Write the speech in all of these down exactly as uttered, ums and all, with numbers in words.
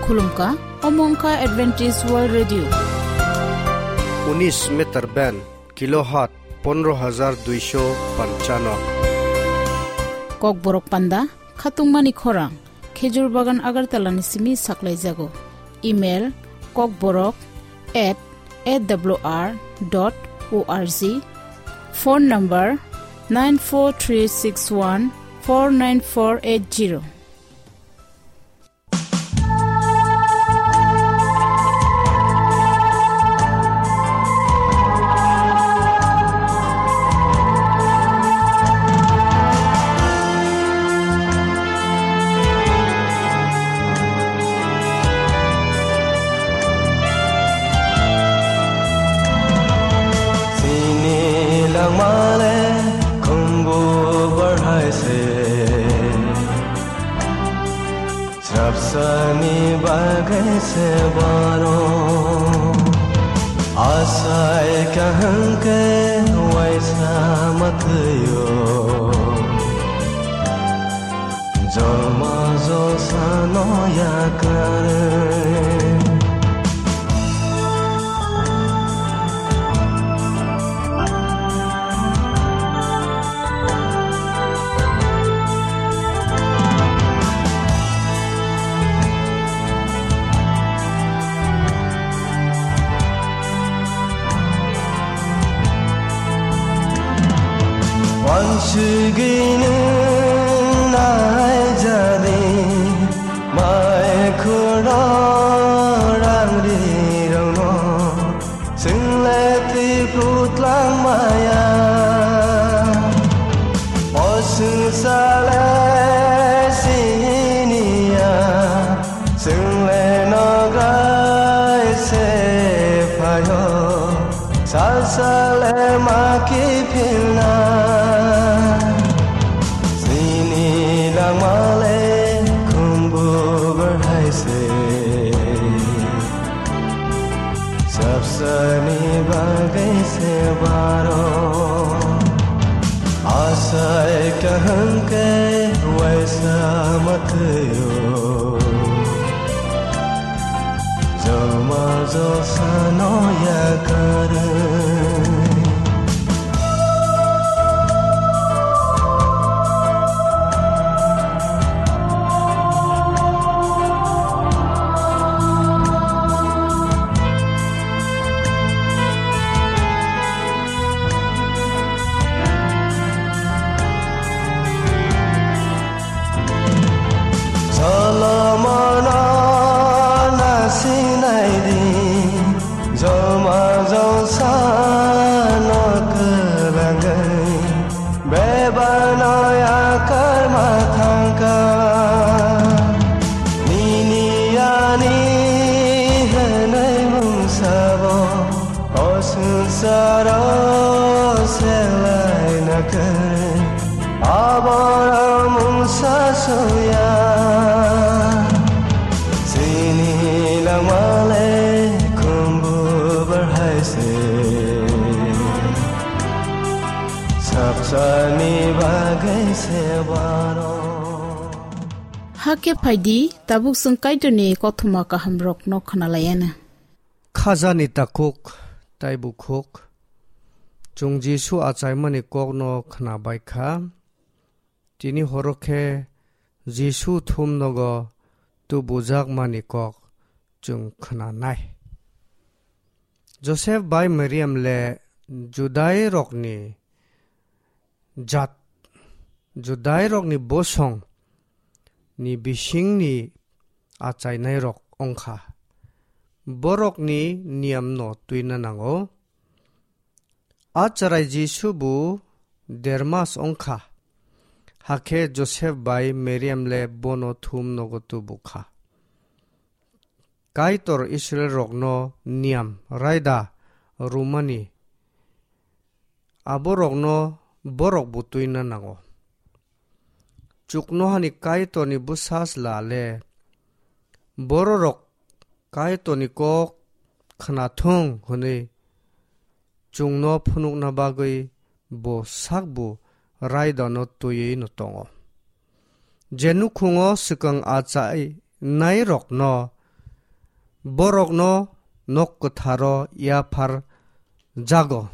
Khulumkha, omo wngkha Adventist World Radio. Unis meter band, kilohertz pondro hajar duisho panchano. Kokborok panda, khatungmani khorang, Khejur Bagan Agartala ni simi saklaijago. Email, kokborok at A W R dot O R G. Phone number, nine four three six one four nine four eight zero. Sini langmale khumbu barhai se. Srapsani bagwi se baro. Asai kaham ke waisa matwio. Jolma jolsa no yakarwi. Wansugwino naijadi, mai khoro rangrirokno. Chwngle twi phutlangmaya, o swngchale siniya, chwngle nograi se phaio, salsale ma kiphilna. Chini langmale khumbu barhai se. Sapsani bagwi se baro. Asai kaham ke waisa matwio. Jolma jolsa no yakarwi. Solomon na sinai di, jolma jolsa no kwlangwi, bebak no yakar ma thangkha. Nini ani hwnwi mungsabo, o swngcharo selai nakarwi. Aborok mungsa suya, chini langmale khumbu barhai se. Sapsani bagwi se baro. Hakhe phaidi, tabuk chwng Kaitorni kothoma kahamrokno khwnalaiana. Khajani takhuk tei bukhuk. Chwng Jisu achaimani kokno khwnabai kha. Tini horo khe Jisu thumnogo tubujakmani kok chwng khwnanai. Joseph bai Mariam le Judairokni jat, Judairokni bosong ni bisingni achainairok wngkha. Borokni niyamno twina nango. A chwrai Jisu bo dermas wngkha, hakhe Joseph bai Mariam le bono thum nogo tubukha. Kaitor Israilrokno niyam raida rwmani aborokno borok bo twina nango. Chuknohani Kaitorni bwsa chwla le bororok Kaitorni kok khwnathung hwnwi chwngno phunukna bagwi bo sakbo raidano twiwi'-no tongo. Je nukhungo swkang achainairokno borokno nok kwtharo yaphar jago.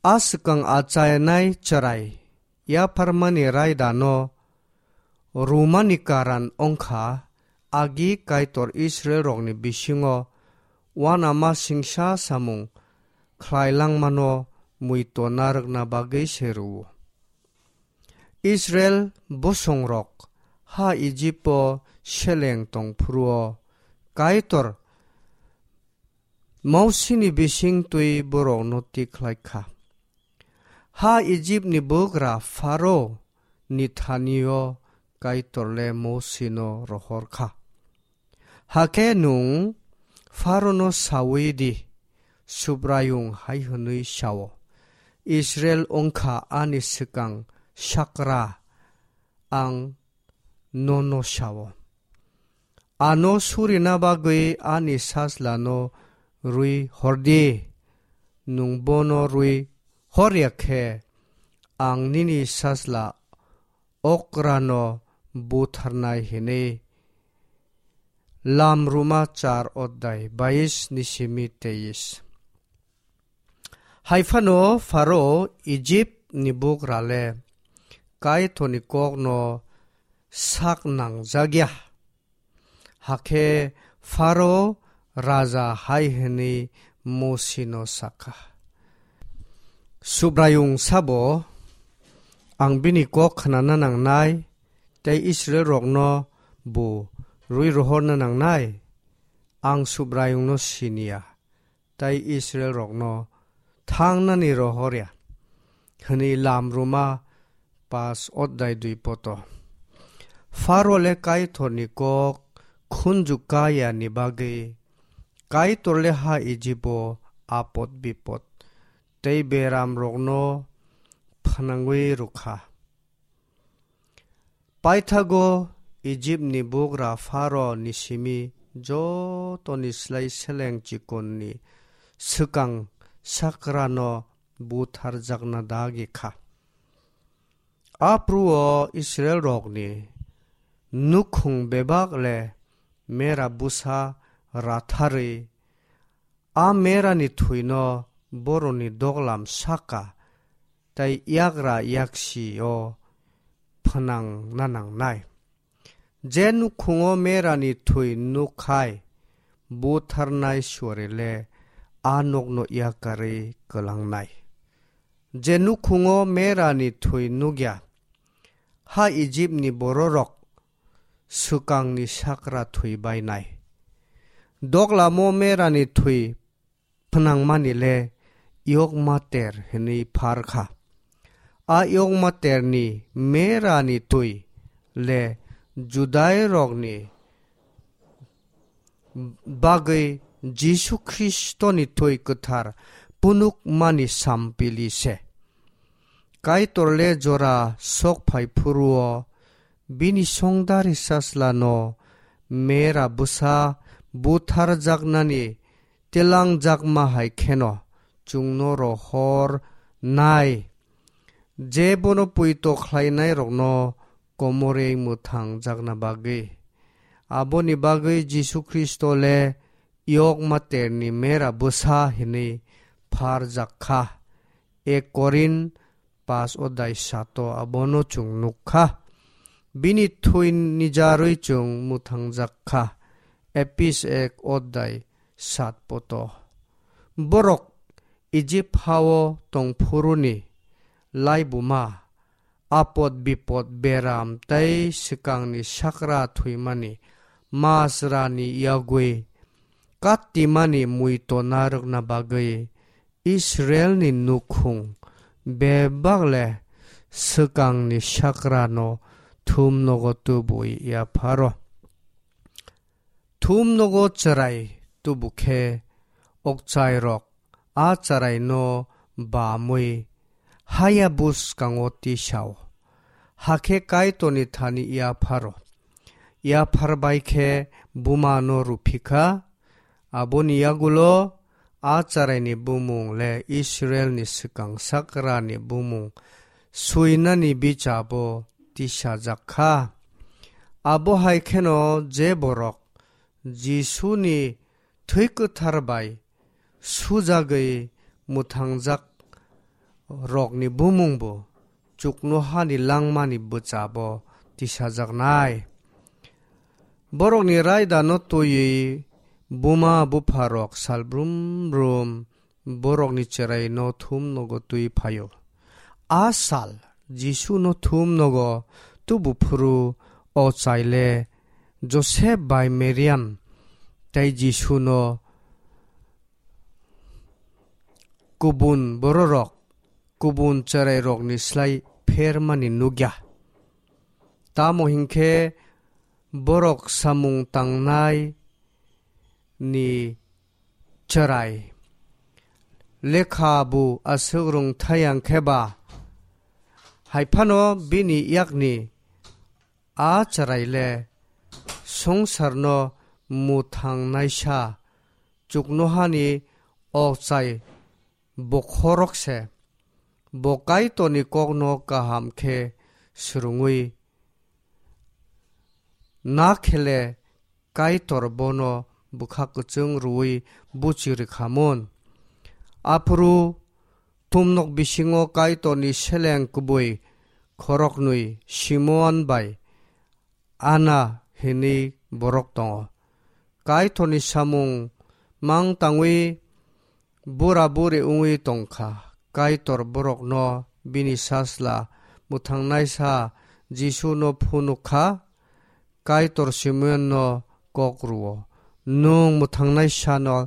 A swkang achainai chwrai yapharmani raidano rwmani karan wngkha, agi Kaitor Israilrokni bisingo uanama singsa samung khlai langmano muito narwkna bagwi se rwo. Israil bosongrok ha Ijipo seleng tong phuru-o Kaitor Mosini bising twi borokno tik khlai kha. Ha Ijipni bugra Pharo ni thani-o Kaitor le Mosino rohor kha. Hakhe nwng Pharo no saui di, Subraiyung hai hwnwi sao, Israil wngkha ani swkang sakra, ang nono sao. Ano surina bagwi ani sajlano rwi hor di. Nwng bono rwi hor ya khe, ang nini sajla okrano butharnai hwnwi. Lamruma char odai bais ni simi teis. Hai phano Pharo Ijip ni bugra le Kaitor ni kok no sak nang jak ya. Hakhe Pharo raja hai hwnwi Mosi no sa kha, Subraiyung sabo, ang bini kok khnana nangnai, tei Israilrokno bo rwi rohorna nangnai? Ang Subraiyungno sini ya, tei Israilrokno thangnani rohor ya, hwnwi Lamruma pas odai dui poto. Pharo le Kaitorni kok khunju kaya ni bagwi Kaitor le ha Ijibo apot bipot tei beramrokno phnangwi rwkha. Paithago Ijipni bugra Pharo ni simi jotoni slai seleng chikonni swkang sakrano butharjakna dagi kha. Apruo Israilrokni nukhung bebak le mera bwsa ratharwi, a merani thwino boroni doglam saka tei yagra yaksi-o phnangna nangnai. Je nukhungo merani thwi nukkhai, butharnai suari le a nokno yakarwi kwlangnai. Je nukhungo merani thwi nukya, ha Ijipni bororok swkangni sakra thwi bainai. Doglamo merani thwi phnangmani le Yokmater hwnwi phar kha. A Yokmaterni merani twi le Judairokni bagwi Jisu Khristoni twi kwthar phunukmani sampili se. Kaitor le jora sok phai phuru-o bini songdari sajlano mera bwsa butharjaknani telangjakma hai kheno chwngno rohor nai, je bono poito khlainairokno komorwi mwthangjakna bagwi. Aboni bagwi Jisu Khristo le Yokmaterni mera bwsa hwnwi pharjak kha. Ek Korin pas odai sato abono chwng nuk kha. Bini thwi nijarwi chwng mwthangjak kha. Epis ek odai sat poto. Borok Ijip hao tongphuruni laibuma, apot bipot, beram tei swkangni sakra thwimani masrani yagwi katimani muito narwkna bagwi Israilni nukhung bebak le swkangni sakrano thumnogo tubui yapharo. Thumnogo chwrai tubu khe okchairok a chwraino bamwi haya bwskango tisao. Hakhe Kaitorni thani yapharo. Yaphar bai khe bumano rwphi kha. Aboni yagulo a chwraini bumung le Israilni swkang sakrani bumung swinani bichabo tisajak kha. Abo hai kheno je borok Jisuni thwi kwthar bai sujagwi mwthangjak rokni bumungbo chuknohani langmani bwchabo tisajaknai. Borokni raidano twiwi buma bupharok sal brum brum borokni chwraino thum nogo twi phaio. A sal Jisuno thum nogo tubu phuru o chaile Josep bai Mariam tei Jisuno kubun bororok kubun chwrairokni slai phermani nukya. Tamo hinkhe borok samung tangnai ni chwrai lekha bu aswk rwngthai ang khe ba, hai phano bini yakni a chwrai le swngcharno mwthangnaisa chuknohani okchai bokhorok se. Bo Kaitorni kokno kaham khe swrwngwi na khele Kaitor bono bwkha kwchwng rwui buchi rwkhamun. Aphuru tumnok bisingo Kaitorni seleng kubui khoroknwi Simon bai Ana hinwi borok tongo. Kaitorni samung mang tangwi bura buri wngwi tongkha. Kaitor borokno bini sasla mwthangnaisa Jisuno phunuk kha. Kaitor Simeonno kok rwo, "Nwng mwthangnaisano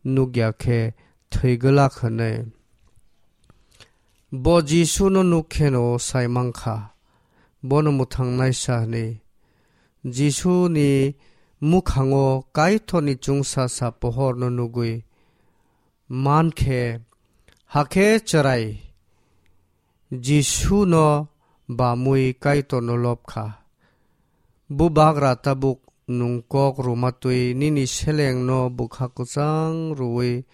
nukya khe thwi glak," hwnwi. Bo Jisuno nuk kheno sai mankha, bono mwthangnaisa hwnwi. Jisuni mwkhango Kaitorni chwngsacha pohorno nugwi mankhe, hakhe chwrai Jisuno bamwi Kaitorno lobkha. Bubagra tabuk nwng kok rwma twi nini selengno bwkha kwchang rwui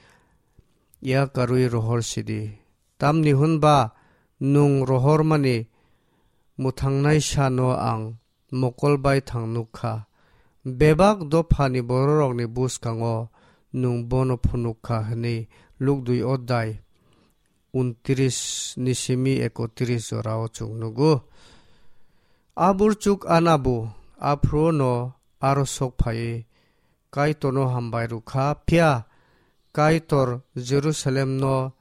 yakarwi rohor sidi. Tamni hwnba nwng rohormani mwthangnaisano ang mokol bai thang nuk kha. Bebak dophani bororokni bwskango nwng bono phunuk kha hwnwi Luk dui odai untris ni simi ekotris jorao chwng nugo. A burchuk Anabu aphuru no aro sok phaiwi Kaitorno hambai rwkha, phiya Kaitor Jerusalemno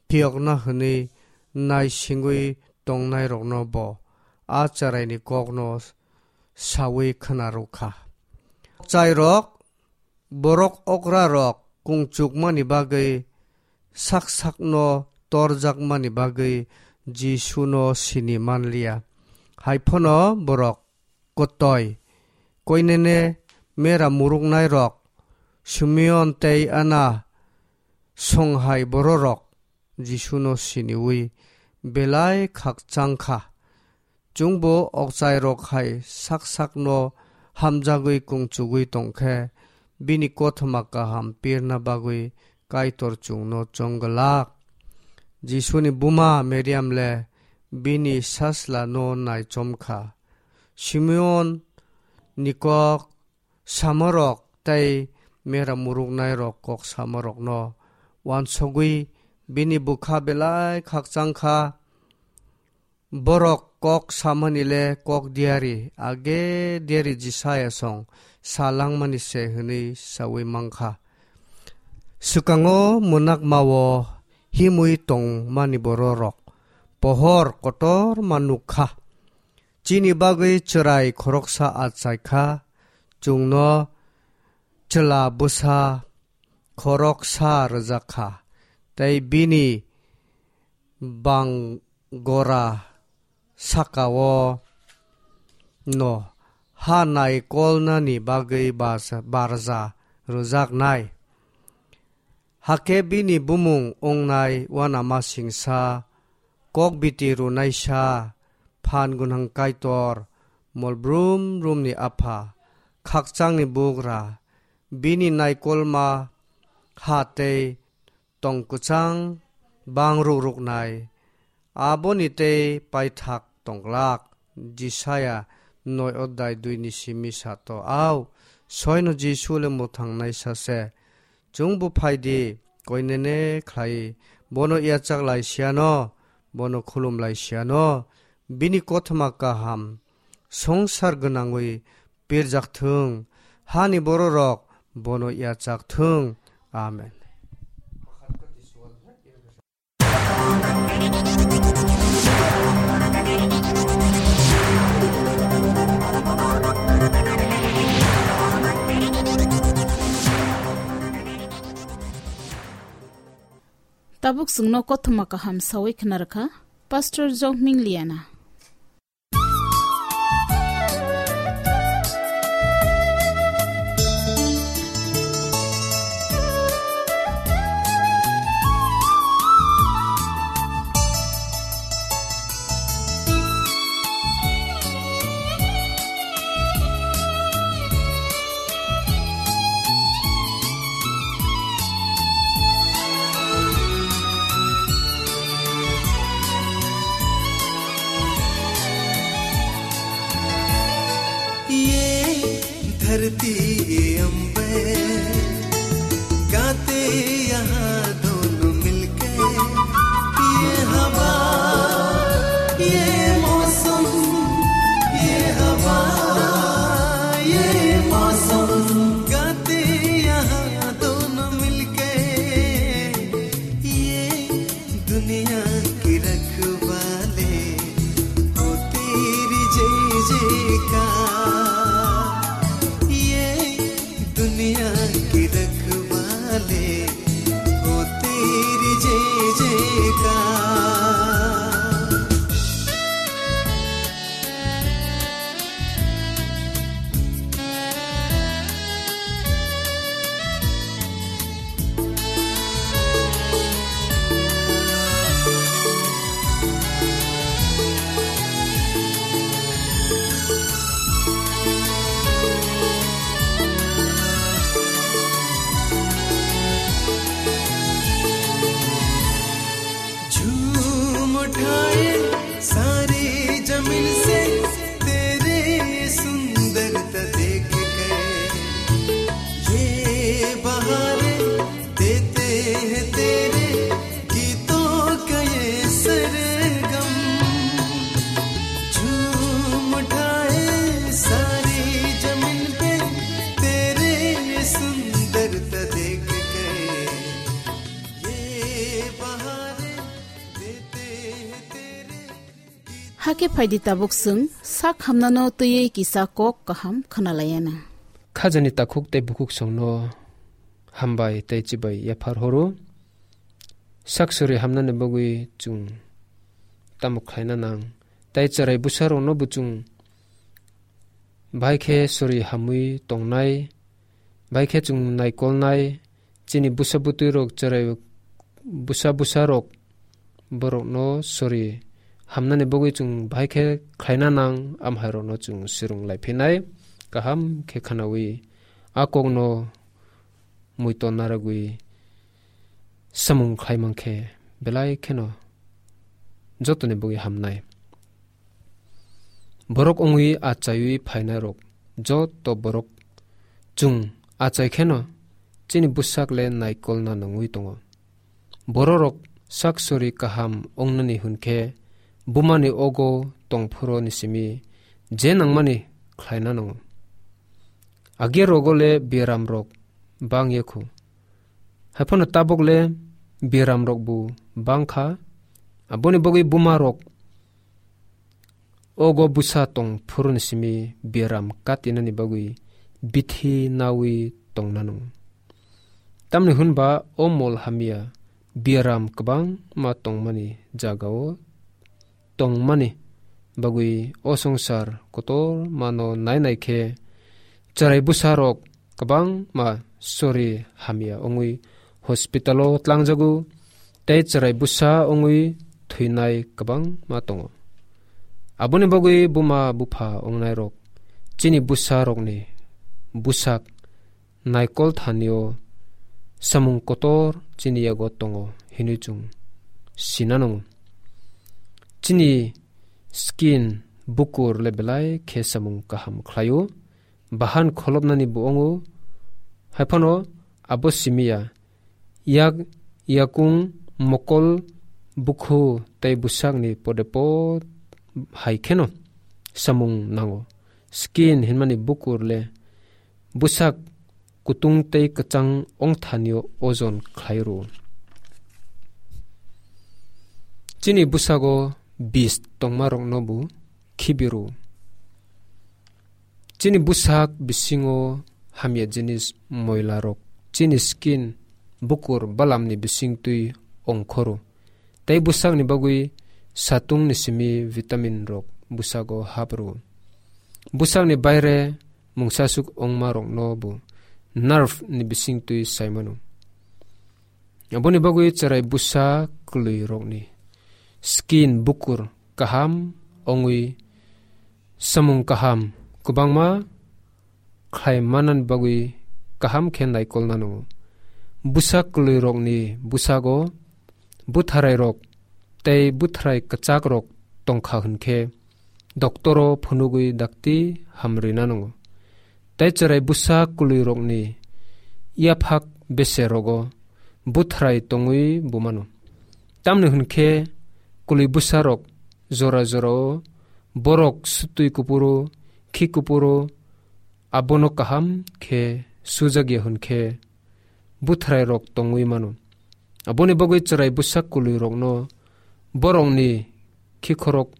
phiyokna hwnwi naisingwi tongnairokno bo a chwraini kokno saui khna rwkha. Chairok, borok okrarok kungchukmani bagwi sak sakno torjakmani bagwi Jisuno sini manliya. Haiphano borok kotoi, koinene mera muruknairok, Simeon tei Ana songhai bororok Jisuno siniui belai khakchang kha. Chwngbo okchairok hai sak sakno hamjagwi kungchugwi tong khe, bini kothoma kaham pirna bagwi Kaitor chwngno chong glak. Jisuni buma Mariam le bini sasla no naichom kha. Simeon ni kok samorok tei mera muruknairok kok samorokno uansugwi bini bwkha belai khakchang kha. Borok kok samani le kok diari, age diari Jisaya song sa langmani se hwnwi saui mankha. Swkango mwnakmao himwi tongmani bororok pohor kotorma nuk kha. Chini bagwi chwrai khoroksa achai kha, chwngno chwla bwsa khoroksa rwjak kha, tei bini bangora sakao no ha naikolnani bagwi bas-, barja rwjaknai. Hakhe bini bumung wngnai uanamasingsa, kokbiti rwnaisa, phan gwnang Kaitor, mol brum brumni apha, khakchangni bugra, bini naikolma ha tei tong kwchang bang ruk ruknai, aboni tei paithak tongglak. Jisaya noi odai dui ni simi sato, "Au, Soino Jisu le mwthangnaisa se. Chwng bo phai di, koinene khlai, bono yachak lai siyano, bono khulum lai siyano, bini kothoma kaham songsar gwnangwi pirjak thung, hani bororok bono yachak thung. Amen. Tabuk chwngno kothoma kaham sawi khna rwkha Pastor Jokming Liana. ये धरती, ये अंबर, गाते यहाँ दोनों मिलके, ये हवा, ये मौसम, ये हवा, ये मौसम, गाते यहाँ दोनों मिलके, ये दुनिया की रखवाले हो तेरी जय जयकार। ये दुनिया की रखवाले हो तेरी जय जयकार। झूम उठाए सारी जमीन से तेरे सुंदरता देख के। ये बहारें देते हैं तेरे गीतों का ये सरगम। झूम उठाए सारी जमीन पे तेरे सुंदरता देख के। ये बहारें देते हैं तेरे Hakhe phaidi tabuk chwng sak hamnano twiwi kisa kok kaham khwnalaiyana. Khajani takhuk tei bukhuk songno hambai tei chibai yaphar horo. Sak sori hamnani bagwi chwng tamo khlaina nang? Tei cherai bwsarokno bo chwng bai khe sori hamwi tongnai, bai khe chwng naikolnai, chini bwsa bwtwirok cherai bwsa bwsarok borokno sori hamnani bagwi chwng bahai khe khlaina nang, amhairokno chwng swrwng lai phinai, kaham khe khwnawi a kokno muiton narwgwi samung khlai mankhe belai kheno jotoni bagwi hamnai. Borok wngwi achaiwi phainairok joto borok chwng achai kheno chini bwsak le naikolna nangwi tongo. Bororok sak sori kaham wngnani hwn khe bumani ogo tongphuru ni simi je nangmani khlaina nango. Agia rogo le biaram rok bang ya khu. Haiphano tabok le biaram rok bo bang kha. Aboni bagwi buma rok ogo bwsa tong phuru ni simi biaram katinani bagwi bithi nawi tongna nango. Tamni hwn ba o mol hamya biaram kwbangma tongmani jagao tongmani bagwi o swngchar kotor mano nai nai khe cherai bwsa rok kwbangma sori hamya wngwi hospital o tlangjago tei cherai bwsa wngwi thwinai kwbangma tongo. Aboni bagwi buma bupha wngnai rok chini bwsa rokni bwsak naikol thanio samung kotor chini yago tongo hinwi chwng sina nango. Chini skin bukur le belai khe samung kaham khlaio. bahan kholopnani bo wngo, haiphano abo simi ya. Yak, yakung, mokol, bukhu tei bwsakni podepot hai kheno samung nango. Skin hinmani bukur le bwsak kutung tei kwchang ongthanio ojon khlai rwo. Chini bwsago bis tongmarokno bo khibi rwo. Chini bwsak bisingo hamya jinis moilarok chini skin bukur balamni bisingtwi ongkhoro. Tei bwsakni bagwi satungni simi vitamin rok bwsago hap rwo. Bwsakni baire mungsasuk ongmarokno bo nerve ni bisingtwi saimano. Aboni bagwi chwrai bwsa kwlwirokni skin bukur kaham ongwi samung kaham kwbangma khlai manani bagwi kaham khe naikolna nango. Bwsa kwlwirokni bwsago bwtharairok tei bwtharai kwchakrok tongkha hwnkhe, doktoro phunugwi dakti hamrwina nango. Tei chwrai bwsa kwlwirokni yaphak beserogo bwthrai tongwi bumano. Tamni hwnkhe kwlwi bwsarok jora jorao borok sutwi kupuro, khi kupuro, abono kaham khe sujak ya hwnkhe bwthrairok tongwi mano. Aboni bagwi chwrai bwsa kwlwirokno borokni khikhorok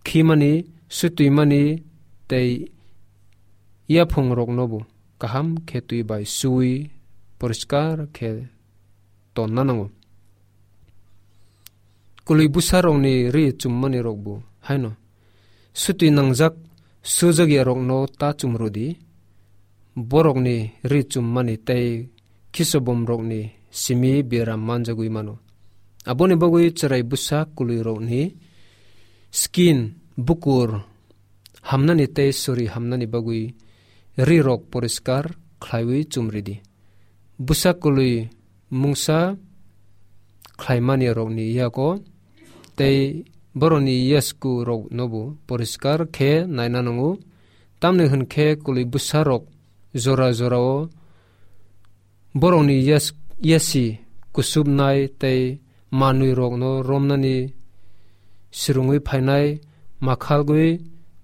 khimani, sutwimani tei yaphungroknobo kaham khe twi bai suwi poriskar khe tonna nango. Kwlwi bwsarokni ri chummanirokbo haino sutwi nangjak sujak yarokno ta chumrwdi, borokni ri chummani tei khisobomrokni simi biaram manjagwi mano. Aboni bagwi chwrai bwsa kwlwirokni skin, bukur, hamnani tei sori hamnani bagwi rirok poriskar khlaiwi chumridi. Bwsa kwlwi mungsa khlaimani rokni yago tei borokni yasku roknobo poriskar khe naina nango. Tamni hwnkhe kwlwi bwsarok jora jorao borokni yas-, yasi kusubnai tei manwirokno romnani swrwngwi phainai, makhalgwi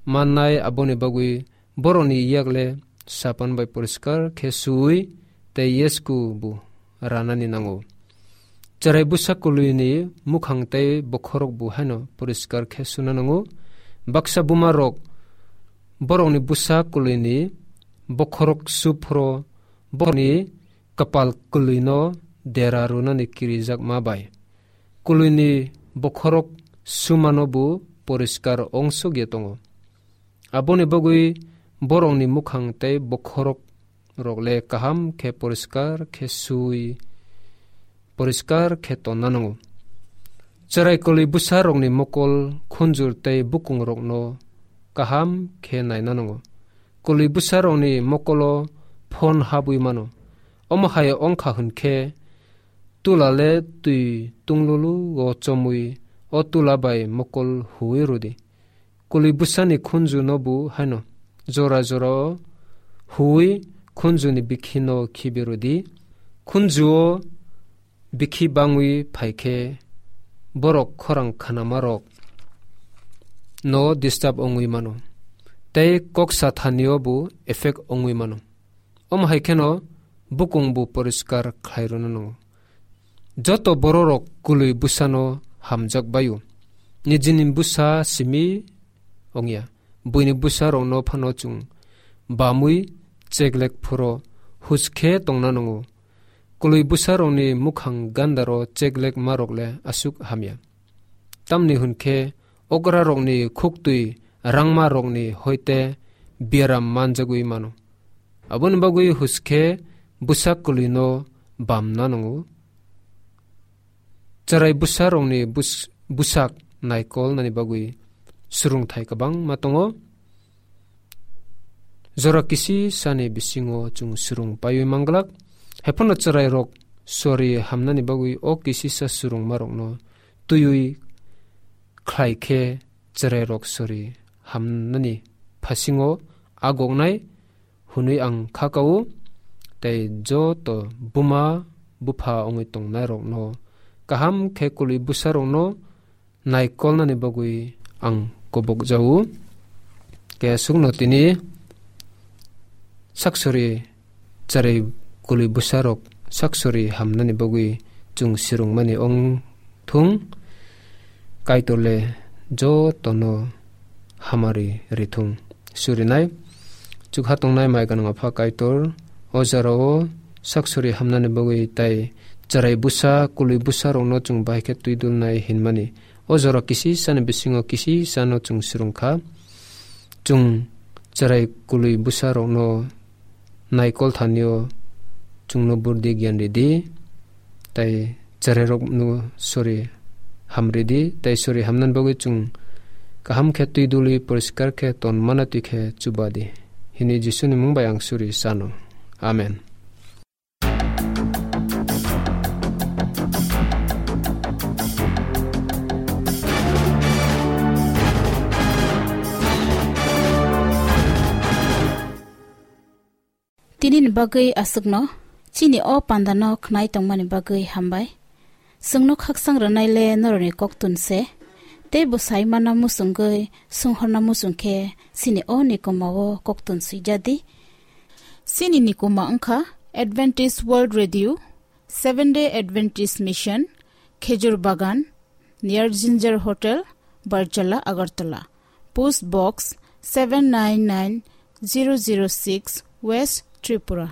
mannai, aboni bagwi borokni yakle sapan bai poriskar khe suwi tei yasku bo ranani nango. Chwrai bwsa kwlwini mukhang tei bokhorok bo haino poriskar khe suna nango. Baksa bumarok borokni bwsa kwlwini bokhorok su phro borokni kwpal kwlwino dera rwnani kirijakma bai kwlwini bokhorok sumano bo poriskar ongsogya tongo. Aboni bagwi borokni mukhang tei bokhorok rok le kaham khe poriskar khe sui, poriskar khe tonna nango. Chwrai kwlwi bwsa rokni mokol, khunjur tei bukung rokno kaham khe naina nango. Kwlwi bwsa rokni mokolo phon habwi mano. Omo hai ongkha hwnkhe tula le twi tunglulu o chomwi o tula bai mokol huwi rwdi. Kwlwi bwsani khunjuno bo haino jora jora o huwi khunjuni bikhino khibi rwdi. Khunjuo bikhi bangwi phaikhe borok khorang khanamarok no disturb ongwi mano. Tei kok sathanio bo effect ongwi mano. Omo hai kheno bukung bo poriskar khlai rwna nango. Joto bororok kwlwi bwsano hamjak baio. Nijini bwsa simi ongya. Buini bwsarokno phano chwng bamwi cheklek phuro huskhe tongna nango. Kwlwi bwsarokni mukhang gandaro cheklek marok le aswk hamya. Tamni hwnkhe okrarokni khuktwi rangmarokni hoite biaram manjagwi mano. Aboni bagwi huskhe bwsa kwlwino bamna nango. Chwrai bwsarokni bus-, bwsak naikolnani bagwi swrwngthai kwbangma tongo. Jora kisi sani bisingo chwng swrwng paiwi manglak. Haiphano chwrairok sori hamnani bagwi o kisisa swrwngmarokno twiwi khlai khe chwrairok sori hamnani phasingo agoknai hwnwi ang kha kao, tei joto buma bupha wngwi tongnairokno kaham khe kwlwi bwsarokno naikolnani bagwi ang kobok jao. Khe aswkno tini saksuri cherai kwlwi bwsarok saksuri hamnani bagwi chwng swrwngmani wng thung, Kaitorle jotono hamari rithung. Surinai chukha tongnai mai gwnang Apha Kaitor, o jorao saksuri hamnani bagwi tai cherai bwsa, kwlwi bwsarokno chwng bahai khe twidulnai hinmani. O jora kisisani bisingo kisisano chwng swrwngkha. Chwng cherai kwlwi bwsarokno naikol thanio chwngno burdi giyan ridi, tei cherairokno sori hamridi, tei sori hamnani bagwi chwng kaham khe twidulwi poriskar khe tonmana twi khe chubadi. Hini Jisuni mung bai ang suri sano. Amen. Tini ni bagwi aswkno, chini o panda no khnai tongmani bagwi hambai. Chwngno khaksang rwnai le norokni koktun se, tei bo sai manna muchungwi, swnghorna muchung khe chini o ni komao koktun swijadi. Chini ni koma wngkha Adventist World Radio, Seventh Day Adventist Mission, Khejur Bagan, near Ginger Hotel, Barjala, Agartala. Post Box seven nine nine zero zero six, West Tripura.